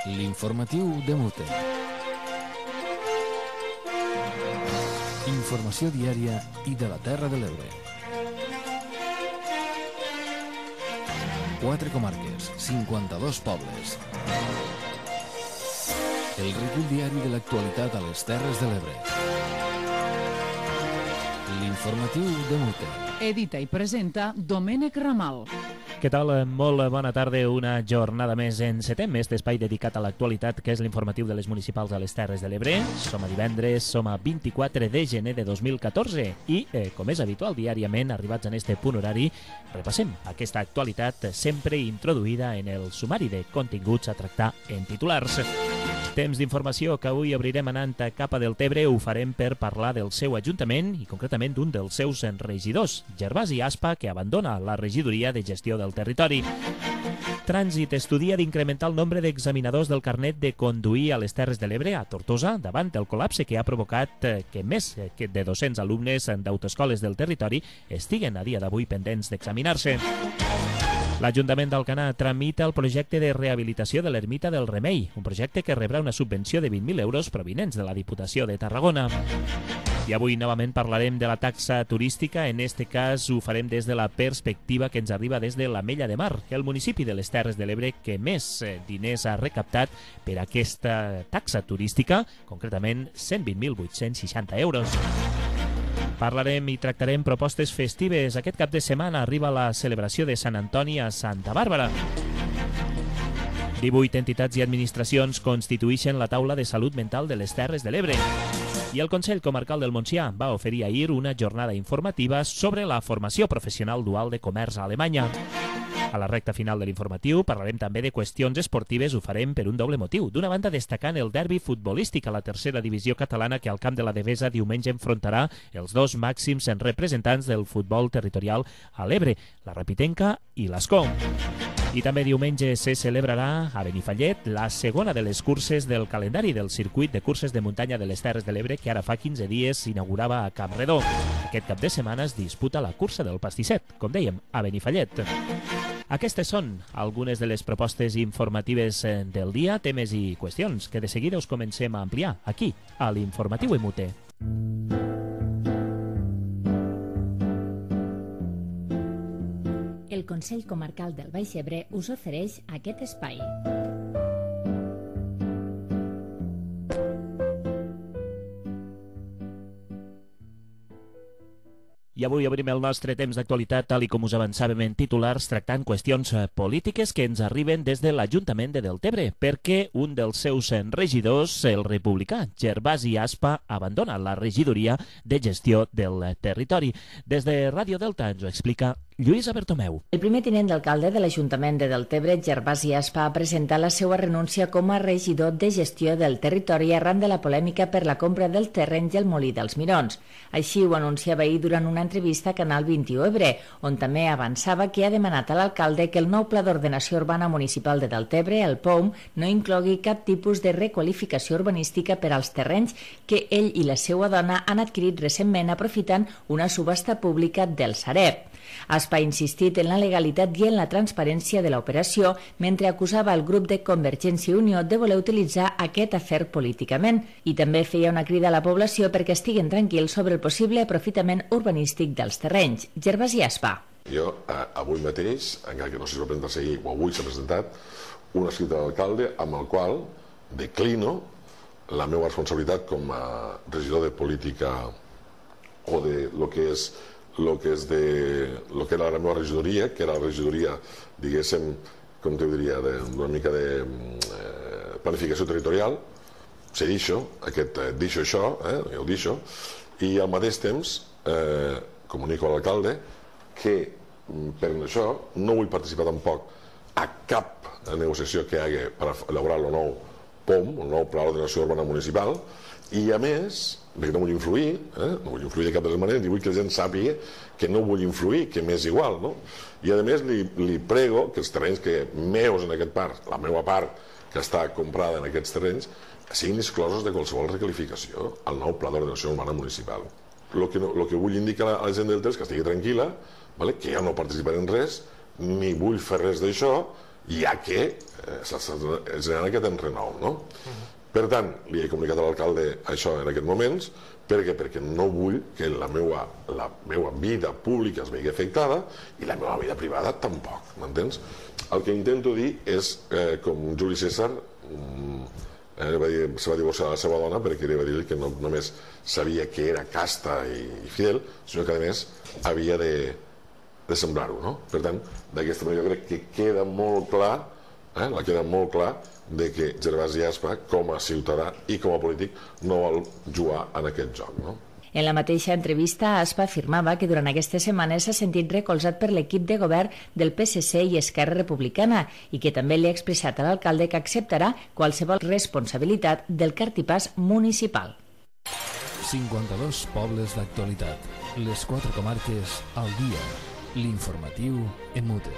L'informatiu de Mute. Informació diària i de la Terra de l'Ebre. 4 comarques, 52 pobles. El recull diari de l'actualitat a les Terres de l'Ebre. L'informatiu de Mute. Edita i presenta Domènec Ramal. Què tal? Molt bona tarda. Una jornada més encetem aquest espai dedicat a l'actualitat, que és l'informatiu de les municipals a les Terres de l'Ebre. Som a divendres, som a 24 de gener de 2014 i, com és habitual diàriament, arribats en este punt horari, repassem aquesta actualitat sempre introduïda en el sumari de continguts a tractar en titulars. Temps d'informació que avui obrirem anant cap a Deltebre. Ho farem per parlar del seu ajuntament i concretament d'un dels seus regidors, Gervasi Aspa, que abandona la regidoria de gestió del territori. Trànsit estudia d'incrementar el nombre d'examinadors del carnet de conduir a les Terres de l'Ebre, a Tortosa, davant del col·lapse que ha provocat que més de 200 alumnes d'autoescoles del territori estiguen a dia d'avui pendents d'examinar-se. L'Ajuntament d'Alcanar tramita el projecte de rehabilitació de l'Ermita del Remei, un projecte que rebrà una subvenció de 20.000 euros provinents de la Diputació de Tarragona. I avui novament parlarem de la taxa turística. En este cas ho farem des de la perspectiva que ens arriba des de l'Ametlla de Mar, el municipi de les Terres de l'Ebre que més diners ha recaptat per aquesta taxa turística, concretament 120.860 euros. Parlarem i tractarem propostes festives. Aquest cap de setmana arriba la celebració de Sant Antoni a Santa Bàrbara. 18 entitats i administracions constituïxen la taula de salut mental de les Terres de l'Ebre. I el Consell Comarcal del Montsià va oferir ahir una jornada informativa sobre la formació professional dual de comerç a Alemanya. A la recta final de l'informatiu parlarem també de qüestions esportives. Ho farem per un doble motiu. D'una banda, destacant el derbi futbolístic a la tercera divisió catalana, que al Camp de la Devesa diumenge enfrontarà els dos màxims representants del futbol territorial a l'Ebre, la Rapitenca i l'Ascó. I també diumenge se celebrarà a Benifallet la segona de les curses del calendari del circuit de curses de muntanya de les Terres de l'Ebre, que ara fa 15 dies s'inaugurava a Campredó. Aquest cap de setmana es disputa la cursa del pastisset, com dèiem, a Benifallet. Aquestes són algunes de les propostes informatives del dia, temes i qüestions que de seguida us comencem a ampliar aquí, a l'Informatiu Emute. El Consell Comarcal del Baix Ebre us ofereix aquest espai. I avui obrim el nostre temps d'actualitat, tal i com us avançàvem en titulars, tractant qüestions polítiques que ens arriben des de l'Ajuntament de Deltebre, perquè un dels seus regidors, el republicà Gervasi Aspa, abandona la regidoria de gestió del territori. Des de Ràdio Delta ens ho explica Lluïsa Bertomeu. El primer tinent d'alcalde de l'Ajuntament de Deltebre, Gervasi Aspa, ha presentat la seva renúncia com a regidor de gestió del territori arran de la polèmica per la compra del terreny i el molí dels Mirons. Així ho anunciava ahir durant una entrevista a Canal 21 Ebre, on també avançava que ha demanat a l'alcalde que el nou Pla d'Ordenació Urbana Municipal de Deltebre, el POUM, no inclogui cap tipus de requalificació urbanística per als terrenys que ell i la seva dona han adquirit recentment aprofitant una subhasta pública del Sareb. Aspa ha insistit en la legalitat i en la transparència de l'operació, mentre acusava el grup de Convergència i Unió de voler utilitzar aquest afer políticament, i també feia una crida a la població perquè estiguen tranquils sobre el possible aprofitament urbanístic dels terrenys. Gervasi Aspa. Jo avui mateix, encara que no sé si va presentar-se ahir o avui s'ha presentat, un escrit de l'alcalde amb el qual declino la meva responsabilitat com a regidor de política o de lo que era la meva regidoria, que era la regidoria, diguéssim, com te diria, d'una mica de planificació territorial. Se deixo això, jo ho deixo, i al mateix temps comunico a l'alcalde que per això no vull participar tampoc a cap negociació que hi hagi per elaborar el nou POM, el nou Pla d'Ordenació Urbana Municipal, i a més, perquè no vull influir, no vull influir de cap de les maneres, i vull que la gent sàpiga que no vull influir, que m'és igual, no? I a més li prego que els terrenys que meus en aquest parc, la meva part que està comprada en aquests terrenys, siguin exclosos de qualsevol requalificació al nou Pla d'Ordenació Urbana Municipal. El que vull indicar a la gent del temps que estigui tranquil·la, que jo no participaré en res, ni vull fer res d'això, ja que s'està generant aquest enrenou, no? Per tant, li he comunicat a l'alcalde això en aquests moments. Per què? Perquè no vull que la meva vida pública es vegi afectada i la meva vida privada tampoc, m'entens? El que intento dir és, com Juli César se va divorciar de la seva dona perquè li va dir que no només sabia que era casta i fidel, sinó que a més havia de semblar-ho, no? Per tant, d'aquesta manera jo crec que queda molt clar, queda molt clar de que Gervasi Aspa, com a ciutadà i com a polític, no vol jugar en aquest joc, no? En la mateixa entrevista, Aspa afirmava que durant aquestes setmanes s'ha sentit recolzat per l'equip de govern del PSC i Esquerra Republicana i que també li ha expressat a l'alcalde que acceptarà qualsevol responsabilitat del cartipàs municipal. 52 pobles d'actualitat. Les 4 comarques al dia. L'informatiu en mute.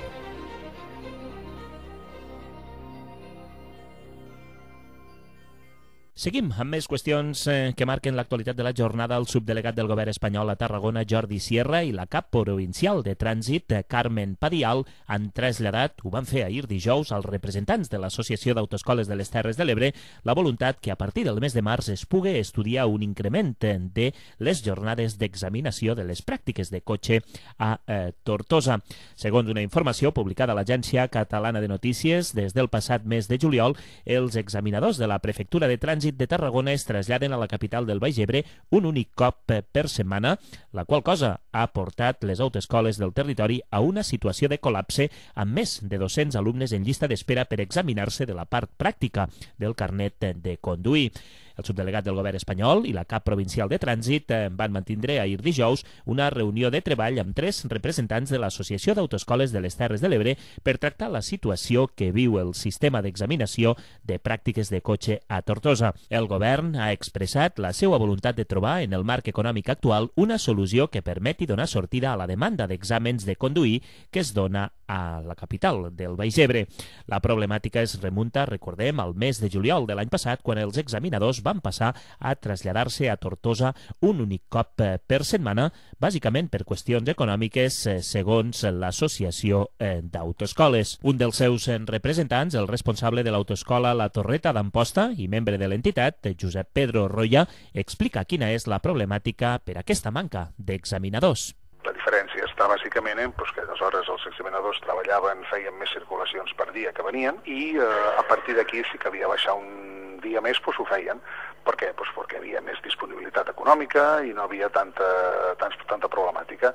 Seguim amb més qüestions que marquen l'actualitat de la jornada. El subdelegat del govern espanyol a Tarragona, Jordi Sierra, i la cap provincial de trànsit, Carmen Padial, han traslladat, ho van fer ahir dijous, als representants de l'Associació d'Autoescoles de les Terres de l'Ebre, la voluntat que a partir del mes de març es pugui estudiar un increment de les jornades d'examinació de les pràctiques de cotxe a Tortosa. Segons una informació publicada a l'Agència Catalana de Notícies, des del passat mes de juliol, els examinadors de la Prefectura de Trànsit de Tarragona es traslladen a la capital del Baix Ebre un únic cop per setmana, la qual cosa ha portat les autoescoles del territori a una situació de col·lapse amb més de 200 alumnes en llista d'espera per examinar-se de la part pràctica del carnet de conduir. El subdelegat del govern espanyol i la cap provincial de trànsit van mantindre ahir dijous una reunió de treball amb 3 representants de l'Associació d'Autoescoles de les Terres de l'Ebre per tractar la situació que viu el sistema d'examinació de pràctiques de cotxe a Tortosa. El govern ha expressat la seva voluntat de trobar en el marc econòmic actual una solució que permeti donar sortida a la demanda d'exàmens de conduir que es dona a la capital del Baix Ebre. La problemàtica es remunta, recordem, al mes de juliol de l'any passat, quan els examinadors van passar a traslladar-se a Tortosa un únic cop per setmana, bàsicament per qüestions econòmiques, segons l'Associació d'Autoescoles. Un dels seus representants, el responsable de l'autoescola La Torreta d'Amposta i membre de l'entitat, Josep Pedro Roya, explica quina és la problemàtica per aquesta manca d'examinadors. La diferència està bàsicament en que aleshores els examinadors treballaven, feien més circulacions per dia que venien i a partir d'aquí sí que havia de baixar un dia més, ho feien. Per què? Perquè hi havia més disponibilitat econòmica i no havia tanta problemàtica.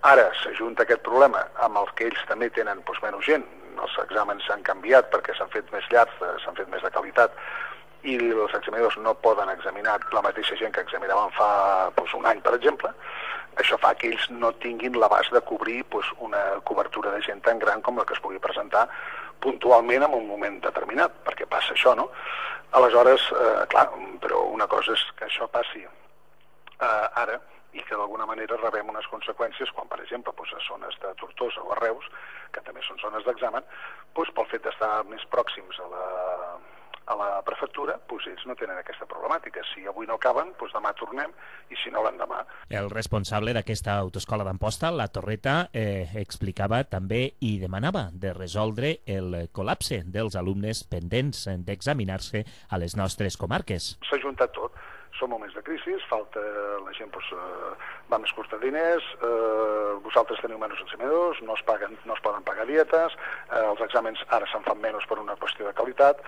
Ara s'ajunta aquest problema amb el que ells també tenen menys gent. Els exàmens s'han canviat perquè s'han fet més llargs, s'han fet més de qualitat i els examinadors no poden examinar la mateixa gent que examinaven fa un any, per exemple. Això fa que ells no tinguin l'abast de cobrir una cobertura de gent tan gran com la que es pugui presentar puntualment en un moment determinat, perquè passa això, no? Aleshores, clar, però una cosa és que això passi ara i que d'alguna manera rebem unes conseqüències quan, per exemple, a zones de Tortosa o a Reus, que també són zones d'examen, pel fet d'estar més pròxims a la prefectura, ells no tenen aquesta problemàtica. Si avui no acaben, demà tornem, i si no, l'endemà. El responsable d'aquesta autoescola d'Amposta, La Torreta, explicava també i demanava de resoldre el col·lapse dels alumnes pendents d'examinar-se a les nostres comarques. S'ha juntat tot. Som moments de crisi, falta la gent va més curta de diners, vosaltres teniu menys examinadors, no es poden pagar dietes, els exàmens ara se'n fan menys per una qüestió de qualitat,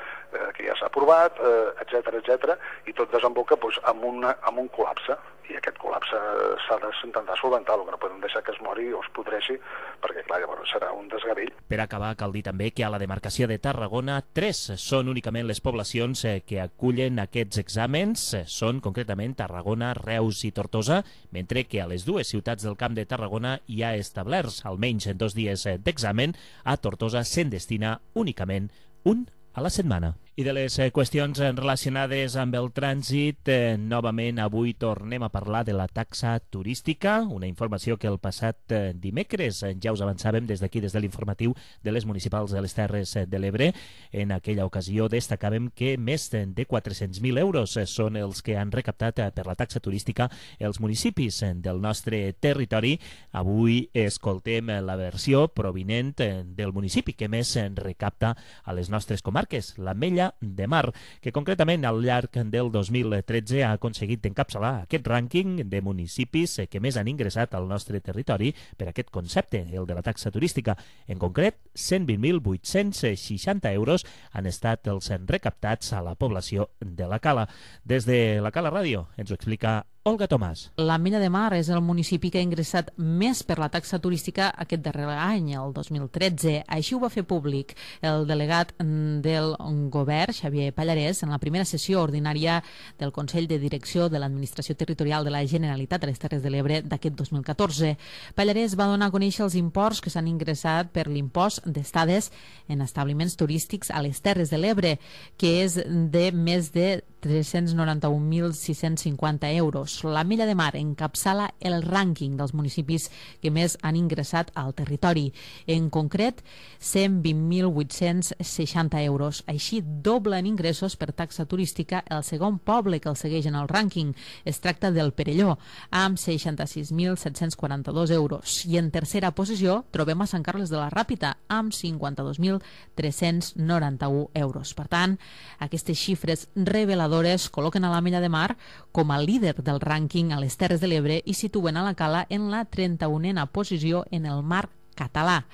que ja s'ha aprovat, etc. I tot desemboca amb un col·lapse, i aquest col·lapse s'ha d'intentar solventar, el que no podem deixar que es mori o es podreixi, perquè clar, llavors serà un desgavell. Per acabar, cal dir també que a la demarcació de Tarragona 3 són únicament les poblacions que acullen aquests exàmens, són concretament Tarragona, Reus i Tortosa, mentre que a les 2 ciutats del Camp de Tarragona hi ha establerts almenys 2 dies d'examen. A Tortosa se'n destina únicament un a la setmana. I de les qüestions relacionades amb el trànsit, novament avui tornem a parlar de la taxa turística, una informació que el passat dimecres ja us avançàvem des d'aquí, des de l'informatiu de les municipals de les Terres de l'Ebre. En aquella ocasió destacàvem que més de 400.000 euros són els que han recaptat per la taxa turística els municipis del nostre territori. Avui escoltem la versió provinent del municipi que més recapta a les nostres comarques, l'Ametlla de Mar, que concretament al llarg del 2013 ha aconseguit encapçalar aquest rànquing de municipis que més han ingressat al nostre territori per aquest concepte, el de la taxa turística. En concret, 120.860 euros han estat els recaptats a la població de la Cala. Des de la Cala Ràdio ens ho explica Olga Tomàs. L'Ametlla de Mar és el municipi que ha ingressat més per la taxa turística aquest darrer any, el 2013. Així ho va fer públic el delegat del govern, Xavier Pallarès, en la primera sessió ordinària del Consell de Direcció de l'Administració Territorial de la Generalitat a les Terres de l'Ebre d'aquest 2014. Pallarès va donar a conèixer els imports que s'han ingressat per l'impost d'estades en establiments turístics a les Terres de l'Ebre, que és de més de 391.650 euros. L'Ametlla de Mar encapçala el rànquing dels municipis que més han ingressat al territori. En concret, 120.860 euros. Així doble en ingressos per taxa turística el segon poble que el segueix en el rànquing. Es tracta del Perelló, amb 66.742 euros. I en tercera posició trobem a Sant Carles de la Ràpita, amb 52.391 euros. Per tant, aquestes xifres reveladores col·loquen a l'Ametlla de Mar com a líder del rànquing a les Terres de l'Ebre i situen a la Cala en la 31a posició en el marc català.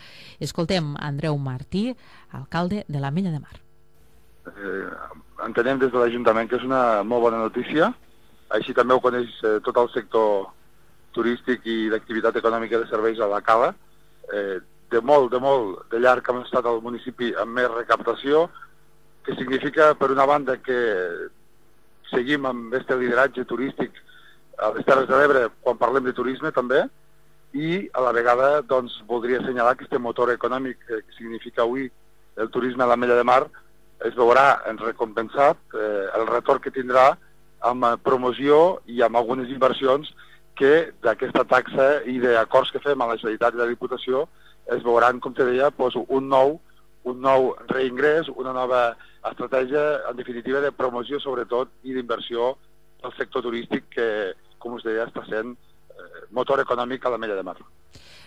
Escoltem Andreu Martí, alcalde de l'Ametlla de Mar. Entenem des de l'Ajuntament que és una molt bona notícia, així també ho coneix tot el sector turístic i d'activitat econòmica de serveis a la Cala. De molt de llarg hem estat al municipi amb més recaptació, que significa, per una banda, que seguim amb aquest lideratge turístic a les Terres de l'Ebre quan parlem de turisme també, i a la vegada doncs, voldria assenyalar que este motor econòmic que significa avui el turisme a l'Ametlla de Mar es veurà recompensat el retorn que tindrà amb promoció i amb algunes inversions que d'aquesta taxa i d'acords que fem a la Generalitat i la Diputació es veuran, com te deia, doncs, un nou reingrés, una nova estratègia, en definitiva, de promoció, sobretot, i d'inversió del sector turístic que, com us deia, està sent motor econòmic a l'Ametlla de Mar.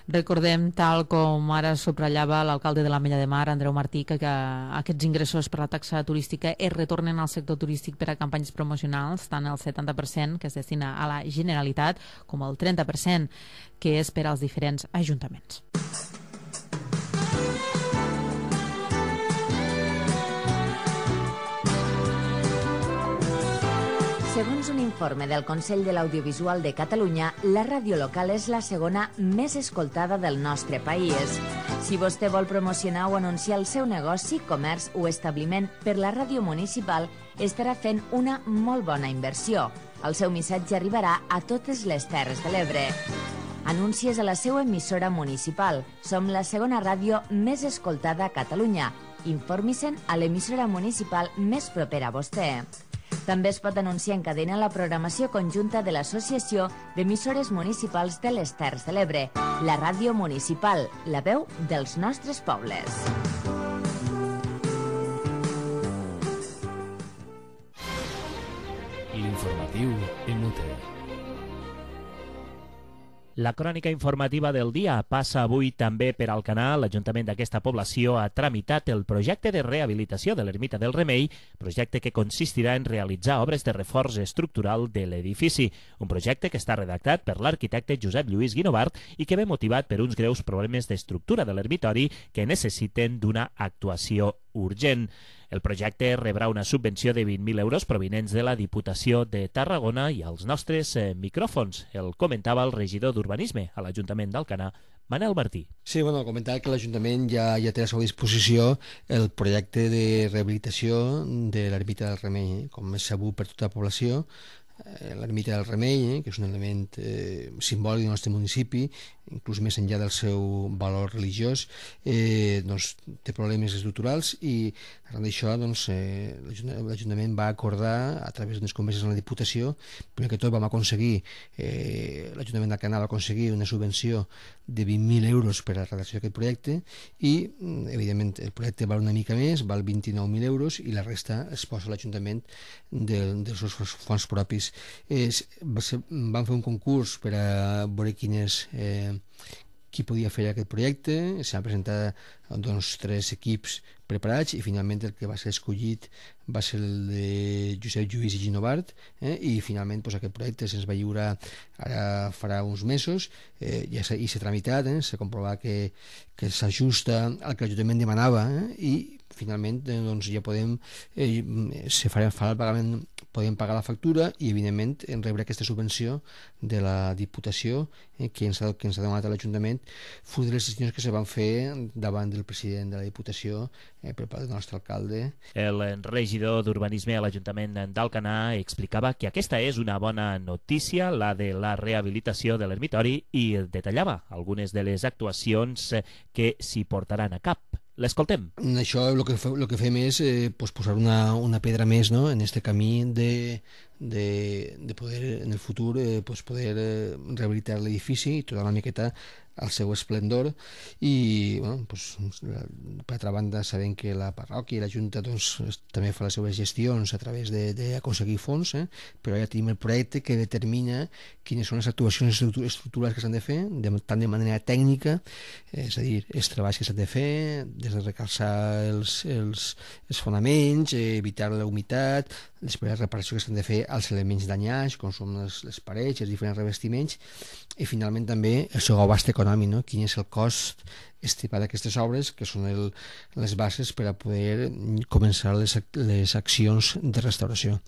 Recordem, tal com ara subratllava l'alcalde de l'Ametlla de Mar, Andreu Martí, que aquests ingressos per la taxa turística es retornen al sector turístic per a campanyes promocionals, tant el 70% que es destina a la Generalitat com el 30% que és per als diferents ajuntaments. Segons un informe del Consell de l'Audiovisual de Catalunya, la ràdio local és la segona més escoltada del nostre país. Si vostè vol promocionar o anunciar el seu negoci, comerç o establiment per la ràdio municipal, estarà fent una molt bona inversió. El seu missatge arribarà a totes les Terres de l'Ebre. Anuncies a la seva emissora municipal. Som la segona ràdio més escoltada a Catalunya. Informi-se'n a l'emissora municipal més propera a vostè. També es pot anunciar en cadena la programació conjunta de l'Associació d'Emissores Municipals de les Terres de l'Ebre, la ràdio municipal, la veu dels nostres pobles. L'informatiu en UT. La crònica informativa del dia passa avui també per Alcanar. L'Ajuntament d'aquesta població ha tramitat el projecte de rehabilitació de l'Ermita del Remei, projecte que consistirà en realitzar obres de reforç estructural de l'edifici. Un projecte que està redactat per l'arquitecte Josep Lluís Guinovart i que ve motivat per uns greus problemes d'estructura de l'ermitori que necessiten d'una actuació urgent. El projecte rebrà una subvenció de 20.000 euros provinents de la Diputació de Tarragona i als nostres micròfons. El comentava el regidor d'Urbanisme a l'Ajuntament d'Alcanar, Manel Martí. Sí, comentar que l'Ajuntament ja té a la seva disposició el projecte de rehabilitació de l'Ermita del Remei, com és sabut per tota la població. L'Ermita del Remei, que és un element simbòlic del nostre municipi, inclús més enllà del seu valor religiós, doncs, té problemes estructurals i arran d'això doncs, l'Ajuntament va acordar a través d'unes converses amb la Diputació. Primer que tot vam aconseguir, l'Ajuntament d'Alcanar va aconseguir una subvenció de 20.000 euros per a la redacció d'aquest projecte i, evidentment, el projecte val una mica més, val 29.000 euros i la resta es posa a l'Ajuntament dels seus fons propis. Vam fer un concurs per a veure qui podia fer aquest projecte. S'han presentat 3 equips preparats i finalment el que va ser escollit va ser el de Josep Lluís i Ginovart, i finalment aquest projecte se'ns va lliurar ara farà uns mesos, i s'ha tramitat, s'ha comprovat que s'ajusta al que l'Ajuntament demanava, i finalment ja podem farà el pagament, podem pagar la factura i evidentment rebre aquesta subvenció de la Diputació que ens ha demanat a l'Ajuntament, fruit de les decisions que se van fer davant del president de la Diputació per part del nostre alcalde. El regidor d'Urbanisme a l'Ajuntament d'Alcanar explicava que aquesta és una bona notícia, la de la rehabilitació de l'ermitori, i detallava algunes de les actuacions que s'hi portaran a cap. L'escoltem. Això el que fem és posar una pedra més, no?, en aquest camí de poder en el futur poder rehabilitar l'edifici i tota una miqueta al seu esplendor. I per altra banda sabem que la parròquia i la Junta també fa les seves gestions a través d'aconseguir fons, però ja tenim el projecte que determina quines són les actuacions estructurals que s'han de fer, tant de manera tècnica, és a dir, els treballs que s'han de fer, des de recalçar els fonaments, evitar la humitat, després la reparació que s'han de fer als elements danyats, com són les parets, els diferents revestiments, i finalment també el seu abast econòmic, no? Quin és el cost estimat d'aquestes obres, que són les bases per a poder començar les accions de restauració.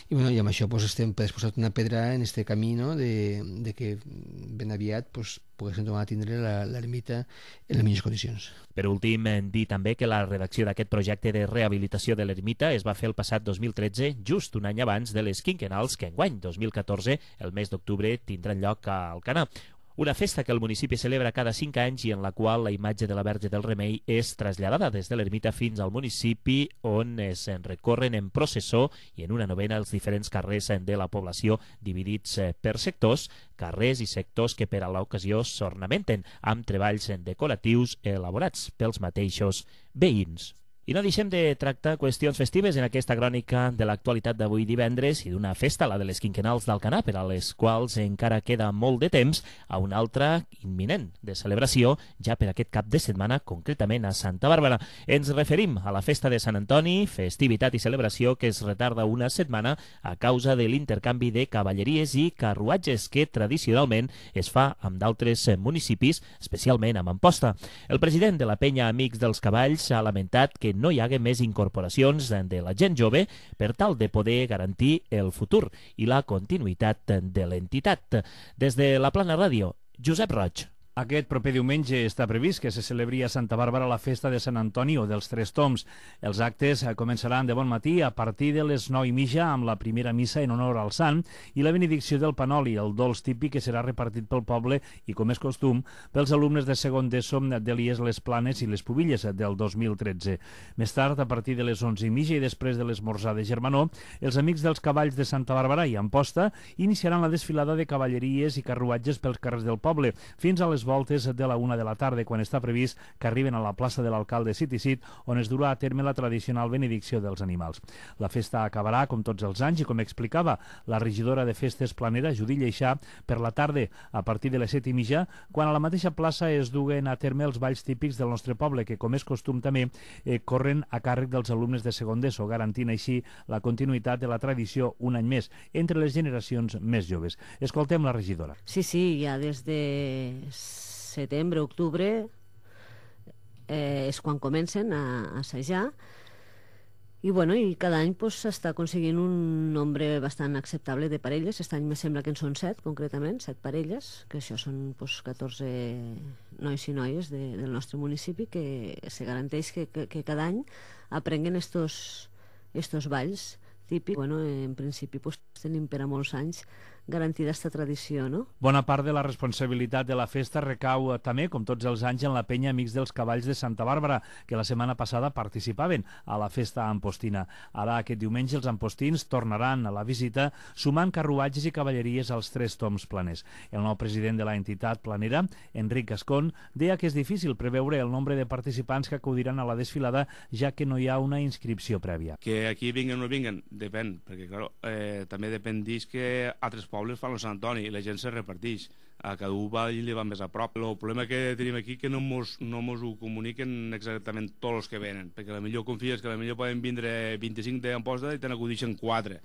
I amb això estem posant una pedra en aquest camí, no?, de que ben aviat poguéssim tornar a tindre l'ermita en les millors condicions. Per últim, dir també que la redacció d'aquest projecte de rehabilitació de l'ermita es va fer el passat 2013, just un any abans de les quinquennals que enguany, 2014, el mes d'octubre, tindran lloc a Alcanar. Una festa que el municipi celebra cada 5 anys i en la qual la imatge de la Verge del Remei és traslladada des de l'ermita fins al municipi, on es recorren en processó i en una novena els diferents carrers de la població dividits per sectors, carrers i sectors que per a l'ocasió s'ornamenten amb treballs decoratius elaborats pels mateixos veïns. I no deixem de tractar qüestions festives en aquesta crònica de l'actualitat d'avui divendres i d'una festa, la de les quinquennals d'Alcanar, per a les quals encara queda molt de temps, a una altra imminent de celebració ja per aquest cap de setmana, concretament a Santa Bàrbara. Ens referim a la festa de Sant Antoni, festivitat i celebració que es retarda una setmana a causa de l'intercanvi de cavalleries i carruatges que tradicionalment es fa amb d'altres municipis, especialment amb Amposta. El president de la penya Amics dels Cavalls ha lamentat que no hi hagi més incorporacions de la gent jove per tal de poder garantir el futur i la continuïtat de l'entitat. Des de la Plana Ràdio, Josep Roig. Aquest proper diumenge està previst que se celebri a Santa Bàrbara la festa de Sant Antoni o dels Tres Tombs. Els actes començaran de bon matí a partir de les 9:30 amb la primera missa en honor al sant i la benedicció del panoli, el dolç típic que serà repartit pel poble i, com és costum, pels alumnes de segon d'ESO de l'IES Les Planes i les Pubilles del 2013. Més tard, a partir de les 11:30 i després de l'esmorzar de Germanó, els Amics dels Cavalls de Santa Bàrbara i Amposta iniciaran la desfilada de cavalleries i carruatges pels carrers del poble, fins a les voltes de la 1 de la tarda, quan està previst que arriben a la plaça de l'alcalde City, on es durà a terme la tradicional benedicció dels animals. La festa acabarà, com tots els anys, i com explicava la regidora de Festes Planera, Judit Lleixà, per la tarda, a partir de les 7:30, quan a la mateixa plaça es duguen a terme els balls típics del nostre poble, que, com és costum també, corren a càrrec dels alumnes de segon d'ESO, garantint així la continuïtat de la tradició un any més entre les generacions més joves. Escoltem la regidora. Sí, ja des de setembre, octubre és quan comencen a assajar i cada any s'està aconseguint un nombre bastant acceptable de parelles. Aquest any me sembla que en són 7, concretament, 7 parelles, que això són 14 nois i noies del nostre municipi, que se garanteix que cada any aprenguen estos balls típics. En principi tenim per a molts anys garantir aquesta tradició, no? Bona part de la responsabilitat de la festa recau també, com tots els anys, en la penya Amics dels Cavalls de Santa Bàrbara, que la setmana passada participaven a la festa ampostina. Ara, aquest diumenge, els ampostins tornaran a la visita sumant carruatges i cavalleries als 3 toms planers. El nou president de la entitat planera, Enric Gascon, deia que és difícil preveure el nombre de participants que acudiran a la desfilada, ja que no hi ha una inscripció prèvia. Que aquí vinguen o no vinguen, depèn, perquè claro, també depèn d'ells que altres pobles fan el Sant Antoni i la gent se reparteix. A cada un va i li va més a prop. El problema que tenim aquí que no mos ho comuniquen exactament tots els que venen, perquè a la millor confies que a la millor poden vindre 25 d'Amposta i te n'acudixen 4.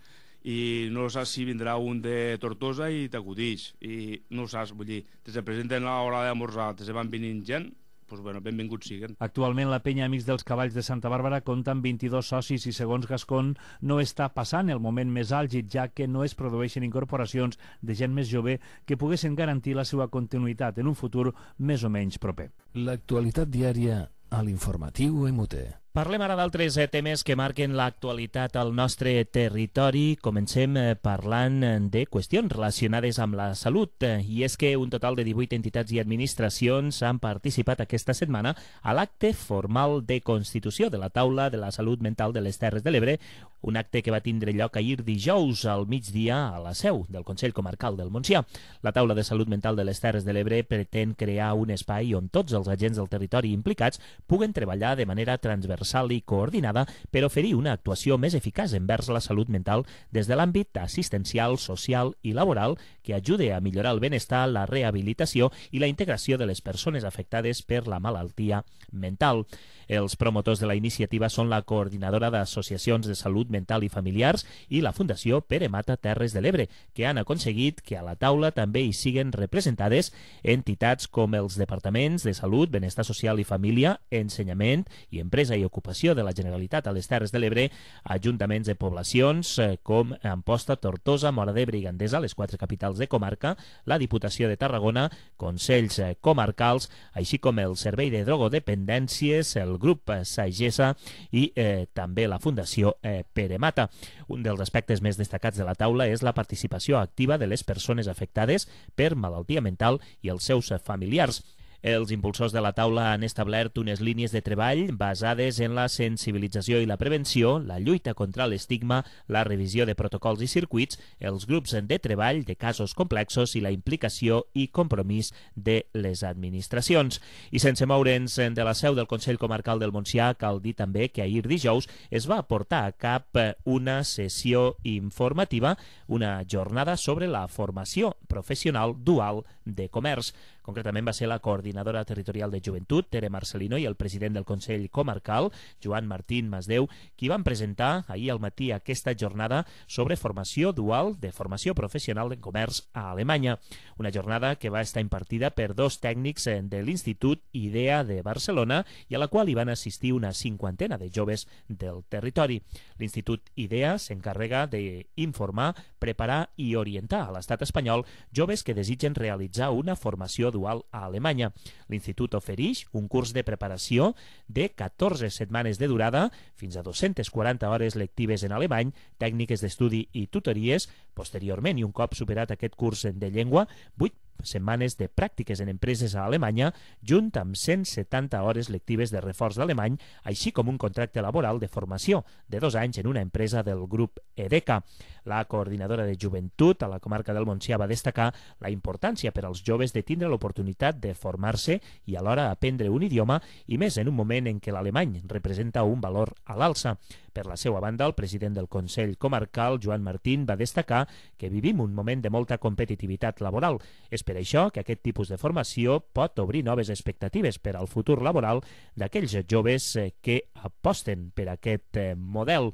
I no saps si vindrà un de Tortosa i t'acudix. I no saps, vull dir, te se presenten a l'hora d'esmorzar, te se van venint gent, doncs bueno, benvinguts siguen. Actualment la penya Amics dels Cavalls de Santa Bàrbara compta amb 22 socis i segons Gascon no està passant el moment més àlgid, ja que no es produeixen incorporacions de gent més jove que poguessin garantir la seva continuïtat en un futur més o menys proper. L'actualitat diària a l'informatiu MUT. Parlem ara d'altres temes que marquen l'actualitat al nostre territori. Comencem parlant de qüestions relacionades amb la salut. I és que un total de 18 entitats i administracions han participat aquesta setmana a l'acte formal de constitució de la Taula de la Salut Mental de les Terres de l'Ebre, un acte que va tindre lloc ahir dijous al migdia a la seu del Consell Comarcal del Montsià. La Taula de Salut Mental de les Terres de l'Ebre pretén crear un espai on tots els agents del territori implicats puguen treballar de manera transversal i coordinada per oferir una actuació més eficaç envers la salut mental des de l'àmbit assistencial, social i laboral que ajude a millorar el benestar, la rehabilitació i la integració de les persones afectades per la malaltia mental. Els promotors de la iniciativa són la Coordinadora d'Associacions de Salut Mental i Familiars i la Fundació Pere Mata Terres de l'Ebre, que han aconseguit que a la taula també hi siguen representades entitats com els Departaments de Salut, Benestar Social i Família, Ensenyament i Empresa i Ocupació de la Generalitat a les Terres de l'Ebre, ajuntaments de poblacions com Amposta, Tortosa, Móra d'Ebre i Gandesa, les 4 capitals de comarca, la Diputació de Tarragona, consells comarcals, així com el Servei de Drogodependències, el grup Sagessa i també la Fundació Pere Mata. Un dels aspectes més destacats de la taula és la participació activa de les persones afectades per malaltia mental i els seus familiars. Els impulsors de la taula han establert unes línies de treball basades en la sensibilització i la prevenció, la lluita contra l'estigma, la revisió de protocols i circuits, els grups de treball de casos complexos i la implicació i compromís de les administracions. I sense moure'ns de la seu del Consell Comarcal del Montsià, cal dir també que ahir dijous es va portar a cap una sessió informativa, una jornada sobre la formació professional dual de comerç. Concretament va ser la coordinadora territorial de joventut, Tere Marcelino, i el president del Consell Comarcal, Joan Martín Masdeu, qui van presentar ahir al matí aquesta jornada sobre formació dual de formació professional en comerç a Alemanya. Una jornada que va estar impartida per 2 tècnics de l'Institut IDEA de Barcelona i a la qual hi van assistir una 50ena de joves del territori. L'Institut IDEA s'encarrega d'informar, preparar i orientar a l'estat espanyol joves que desitgen realitzar una formació dual a Alemanya. L'Institut ofereix un curs de preparació de 14 setmanes de durada, fins a 240 hores lectives en alemany, tècniques d'estudi i tutories. Posteriorment, i un cop superat aquest curs de llengua, 8 setmanes de pràctiques en empreses a Alemanya, junt amb 170 hores lectives de reforç d'alemany, així com un contracte laboral de formació de 2 anys en una empresa del grup EDECA. La coordinadora de joventut a la comarca del Montsià va destacar la importància per als joves de tindre l'oportunitat de formar-se i alhora aprendre un idioma, i més en un moment en què l'alemany representa un valor a l'alça. Per la seva banda, el president del Consell Comarcal, Joan Martín, va destacar que vivim un moment de molta competitivitat laboral. És per això que aquest tipus de formació pot obrir noves expectatives per al futur laboral d'aquells joves que aposten per aquest model.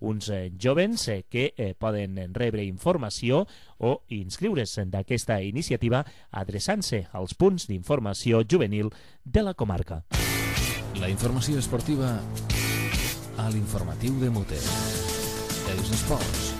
Uns jovens que poden rebre informació o inscriure's d'aquesta iniciativa adreçant-se als punts d'informació juvenil de la comarca. La informació esportiva a l'informatiu de MUT. Els esports.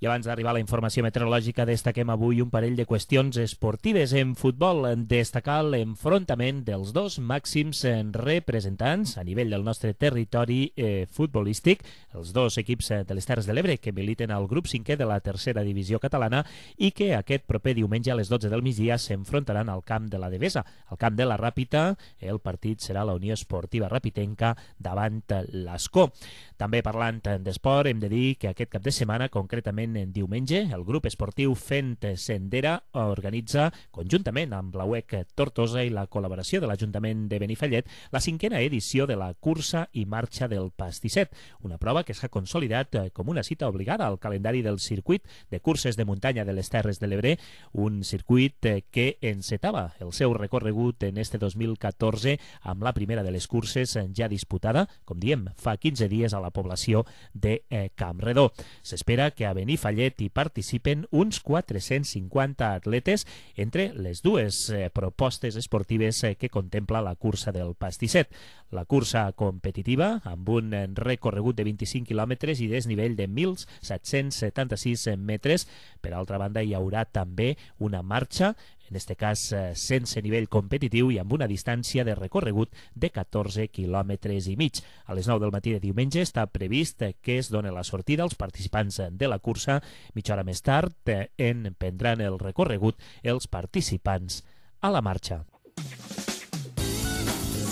I abans d'arribar a la informació meteorològica, destaquem avui un parell de qüestions esportives. En futbol, destacar l'enfrontament dels dos màxims representants a nivell del nostre territori futbolístic, els dos equips de les Terres de l'Ebre que militen al grup 5è de la tercera divisió catalana i que aquest proper diumenge a les 12 del migdia s'enfrontaran al camp de la Devesa. Al camp de la Ràpita, el partit serà la Unió Esportiva Rapitenca davant l'Ascó. També parlant d'esport, hem de dir que aquest cap de setmana, concretament en diumenge, el grup esportiu Fent Sendera organitza, conjuntament amb la UEC Tortosa i la col·laboració de l'Ajuntament de Benifallet, la 5a edició de la cursa i marxa del Pastisset, una prova que s'ha consolidat com una cita obligada al calendari del circuit de curses de muntanya de les Terres de l'Ebre, un circuit que encetava el seu recorregut en este 2014 amb la primera de les curses ja disputada, com diem, fa 15 dies a la població de Campredó. S'espera que a Benifallet hi participen uns 450 atletes entre les dues propostes esportives que contempla la cursa del Pastisset. La cursa competitiva, amb un recorregut de 25 quilòmetres i desnivell de 1.776 metres. Per altra banda, hi haurà també una marxa, en aquest cas sense nivell competitiu i amb una distància de recorregut de 14 quilòmetres i mig. A les 9 del matí de diumenge està previst que es doni la sortida als participants de la cursa. Mitja hora més tard en prendran el recorregut els participants a la marxa.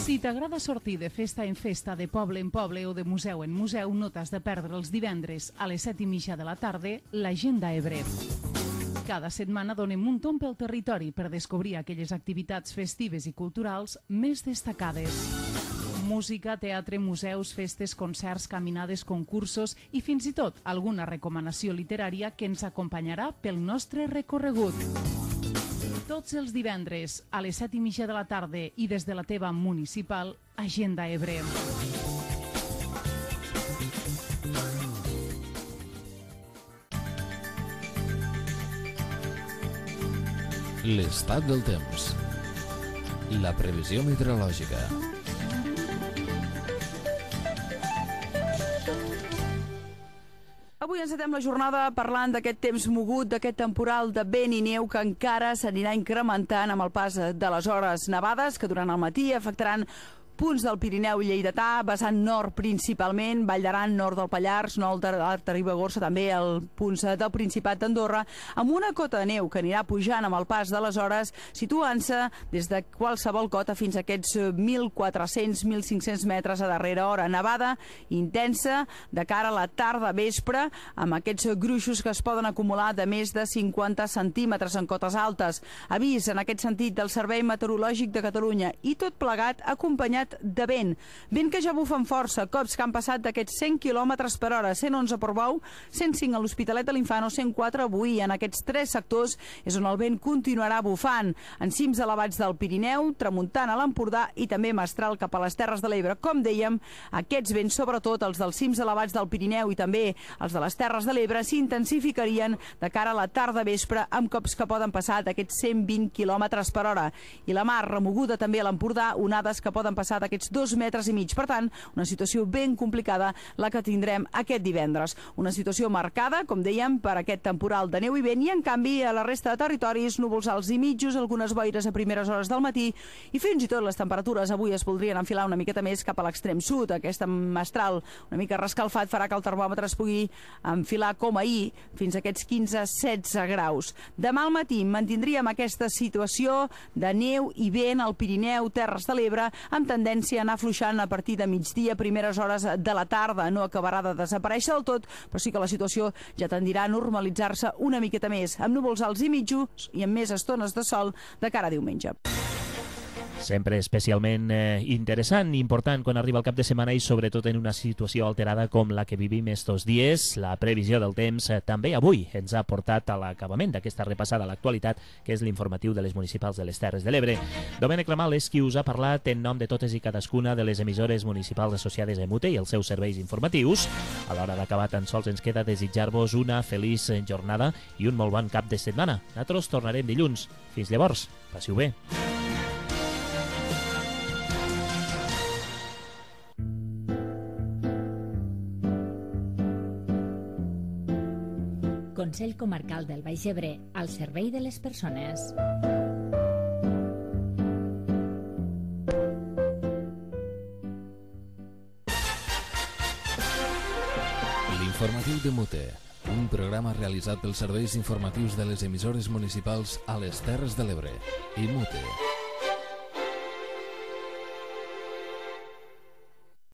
Si t'agrada sortir de festa en festa, de poble en poble o de museu en museu, no t'has de perdre els divendres a les 7:30 de la tarda l'Agenda Ebre. Cada setmana donem un tomb pel territori per descobrir aquelles activitats festives i culturals més destacades. Música, teatre, museus, festes, concerts, caminades, concursos i fins i tot alguna recomanació literària que ens acompanyarà pel nostre recorregut. Tots els divendres a les 7:30 de la tarda i des de la teva municipal, Agenda Ebre. L'estat del temps. La previsió meteorològica. Avui encetem la jornada parlant d'aquest temps mogut, d'aquest temporal de vent i neu que encara s'anirà incrementant amb el pas de les hores nevades que durant el matí afectaran punts del Pirineu lleidatà, vessant nord principalment, Vall d'Aran, nord del Pallars, nord de la Ribagorça, també el punts del Principat d'Andorra, amb una cota de neu que anirà pujant amb el pas de les hores, situant-se des de qualsevol cota fins a aquests 1.400-1.500 metres a darrera hora. Nevada intensa de cara a la tarda-vespre, amb aquests gruixos que es poden acumular de més de 50 centímetres en cotes altes. Avís en aquest sentit del Servei Meteorològic de Catalunya i tot plegat acompanyat de vent. Vent que ja bufa amb força, cops que han passat d'aquests 100 km per hora, 111 a Portbou, 105 a l'Hospitalet de l'Infant o 104 avui. En aquests tres sectors és on el vent continuarà bufant. En cims elevats del Pirineu, tramuntant a l'Empordà i també mestral cap a les Terres de l'Ebre. Com dèiem, aquests vents, sobretot els dels cims elevats del Pirineu i també els de les Terres de l'Ebre, s'intensificarien de cara a la tarda-vespre amb cops que poden passar d'aquests 120 km per hora. I la mar remoguda també a l'Empordà, onades que poden passar d'aquests 2,5 metres. Per tant, una situació ben complicada la que tindrem aquest divendres. Una situació marcada, com dèiem, per aquest temporal de neu i vent i, en canvi, a la resta de territoris, núvols alts i mitjos, algunes boires a primeres hores del matí i fins i tot les temperatures avui es voldrien enfilar una miqueta més cap a l'extrem sud. Aquest mestral una mica rescalfat farà que el termòmetre es pugui enfilar com ahir fins a aquests 15-16 graus. Demà al matí mantindríem aquesta situació de neu i vent al Pirineu, Terres de l'Ebre, amb tendència a anar afluixant a partir de migdia, primeres hores de la tarda. No acabarà de desaparèixer del tot, però sí que la situació ja tendirà a normalitzar-se una miqueta més, amb núvols alts i mitjos i amb més estones de sol de cara a diumenge. Sempre especialment interessant i important quan arriba el cap de setmana i sobretot en una situació alterada com la que vivim estos dies. La previsió del temps també avui ens ha portat a l'acabament d'aquesta repassada a l'actualitat, que és l'informatiu de les municipals de les Terres de l'Ebre. Domènec Ramal és qui us ha parlat en nom de totes i cadascuna de les emissores municipals associades a MUTE i els seus serveis informatius. A l'hora d'acabar tan sols ens queda desitjar-vos una feliç jornada i un molt bon cap de setmana. Nosaltres tornarem dilluns. Fins llavors, passiu bé. Consell Comarcal del Baix Ebre, al servei de les persones. L'informatiu de Mute, un programa realitzat pels serveis informatius de les emissores municipals a les Terres de l'Ebre i Mute.